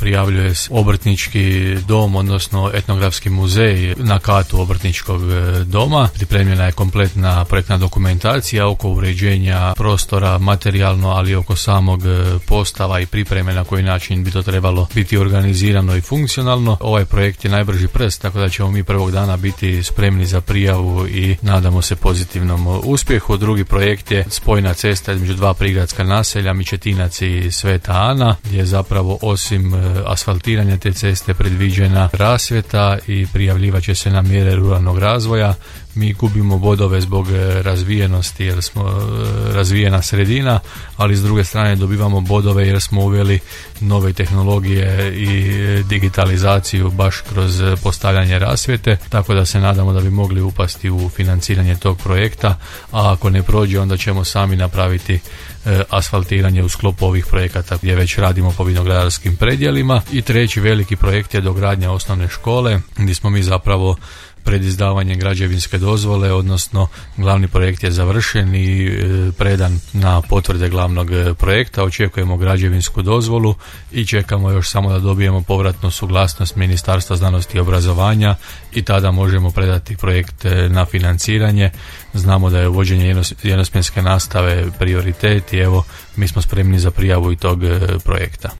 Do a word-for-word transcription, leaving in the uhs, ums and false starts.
prijavljuje obrtnički dom, odnosno etnografski muzej na katu obrtničkog doma. Pripremljena je kompletna projektna dokumentacija oko uređenja prostora materijalno, ali oko samog postava i pripreme na koji način bi to trebalo biti organizirano i funkcionalno. Ovaj projekt je najbrži prst, tako da ćemo mi prvog dana biti spremni za prijavu i nadamo se pozitivnom uspjehu. Drugi projekt je spojna cesta između dva prigradska naselja, Mičetinac i Sveta Ana, gdje je zapravo osim asfaltiranja te ceste predviđena rasvjeta i prijavljivat će se na mjere ruralnog razvoja. Mi gubimo bodove zbog razvijenosti jer smo razvijena sredina, ali s druge strane dobivamo bodove jer smo uveli nove tehnologije i digitalizaciju baš kroz postavljanje rasvjete, tako da se nadamo da bi mogli upasti u financiranje tog projekta, a ako ne prođe onda ćemo sami napraviti asfaltiranje u sklopu ovih projekata gdje već radimo po vinogradarskim predjelima. I treći veliki projekt je dogradnja osnovne škole, gdje smo mi zapravo pred izdavanjem građevinske dozvole, odnosno glavni projekt je završen i predan na potvrde glavnog projekta. Očekujemo građevinsku dozvolu i čekamo još samo da dobijemo povratnu suglasnost Ministarstva znanosti i obrazovanja i tada možemo predati projekt na financiranje. Znamo da je uvođenje jednosmjenske nastave prioritet i evo mi smo spremni za prijavu i tog projekta.